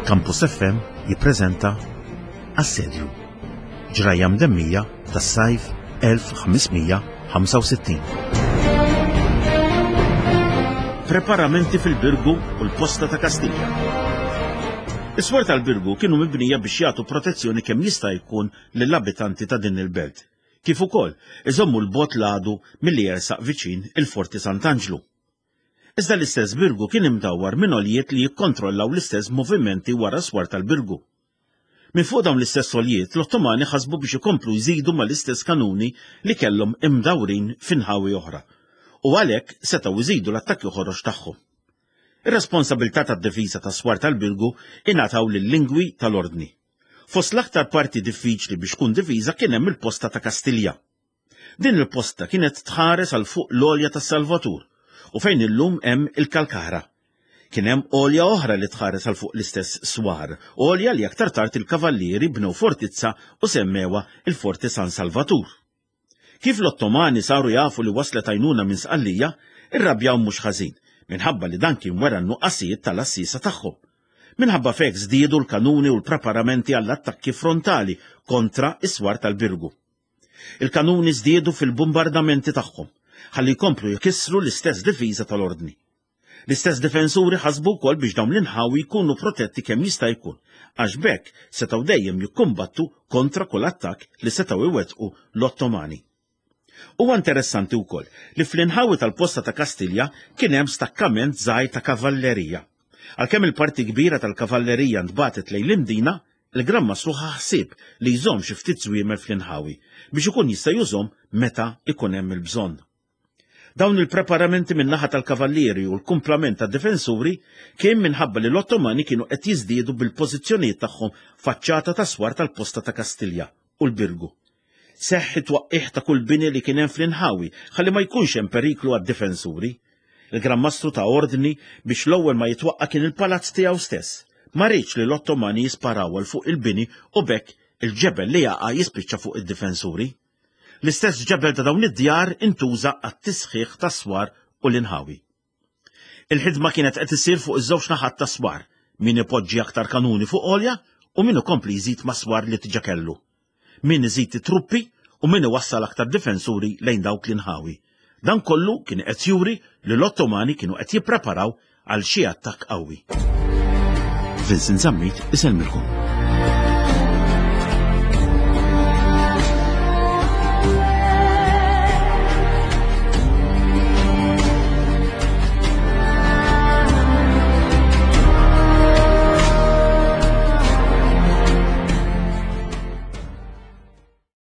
Campus FM jippreżenta Assedju. Ġrajja mdemmija tas-sajf 1565. Preparamenti fil-Birgu u l-Posta ta' Kastilja. Is-swar tal-Birgu kienu mibnija biex jagħtu protezzjoni kemm jista' jkun lill-abitanti ta' din il-belt, kif ukoll iżommu 'l bogħod l-għadu milli jersaq viċin il-Forti Sant'Anġlu. Iżda l-istess Birgu kien imdawwar minn għoljiet li jikkontrollaw l-istess movimenti wara s-swar tal-Birgu. Minn fuq dawn l-istess għoljiet, l-Ottomani ħasbu biex ikomplu jżidu mal-istess kanuni li kellhom imdawrin fi nħawi oħra, u għalhekk setgħu jżidu l-attakki ħorox tagħhom. Ir-responsabilità tad-difiża tas-swar tal-Birgu ingħataw lil-lingwi tal-Ordni. Fost l-aktar parti diffiċli biex tkun difiża kien hemm il-posta ta' Kastilja. Din il-posta kienet tħares għal fuq l-għolja tas-Salvatur u fejn illum hemm il-Kalkara. Kien hemm għolja oħra li tħares għal fuq l-istess swar, għolja li aktar tard il-kavallieri bnew fortizza u semmewha il-Forti San Salvatur. Kif l-Ottomani saru jafu li waslet għajnuna minn Sqallija, irrabjaw mhux ħażin, minħabba li dan kien wera n-nuqqasijiet tal-għassiesa tagħhom. Minħabba f'hekk żdiedu l-kanuni u l-preparamenti għall-attakki frontali kontra s-swar tal-Birgu. Il-kanuni żdiedu fil-bumbardamenti tagħhom, ħalli jkomplu jkissru l-istess difiża tal-Ordni. L-istess difensuri ħasbu wkoll biex dawn l-inħawi jkunu protetti kemm jista' jkun, għax b'hekk setgħu dejjem jikkumbattu kontra kull attakk li setgħu jwettqu l-Ottomani. Huwa interessanti wkoll li fl-inħawi tal-posta ta' Kastilja kien hemm stakkament żgħir ta' kavallerija. Għalkemm il-parti kbira tal-kavallerija ntbagħtet lejn l-Imdina, il-Gran Mastru ħa ħsieb li jżomm xi ftit żwiemel fl-inħawi biex ikun jista' jużhom meta jkun hemm il-bżonn. Dawn il-preparamenti min-naħa tal-kavallieri u l-kumplament tad-difensuri kien minħabba li l-Ottomani kienu qed jiżdiedu bil-pożizzjonijiet tagħhom faċċata tas-swar tal-posta ta' Kastilja u l-Birgu. Seħħ it-twaqqigħ ta' kull bini li kien hemm fl-inħawi ħalli ma jkunx hemm periklu għad-difensuri. Il-Gran Mastru ta ordni biex l-ewwel ma jitwaqqa' kien il-palazz tiegħu stess. Ma riedx li l-Ottomani jisparaw għal fuq il-bini u b'hekk il-ġebel li jaqa' jispiċċa fuq id-difensuri. L-istess ġebel ta' dawn id-djar intuża għat-tisħiħ tas-swar u l-inħawi. Il-ħidma kienet qed issir fuq iż-żewġ naħat tas-swar, min ipoġġi aktar kanuni fuq għolja u min ikompli jżid mas-swar li diġà kellu. Min iżid it-truppi u min iwassal aktar difensuri lejn dawk l-inħawi. Dan kollu kien qed juri li l-Ottomani kienu qed jippreparaw għal xi attakk qawwi. Vincent Zammit isellmilkom.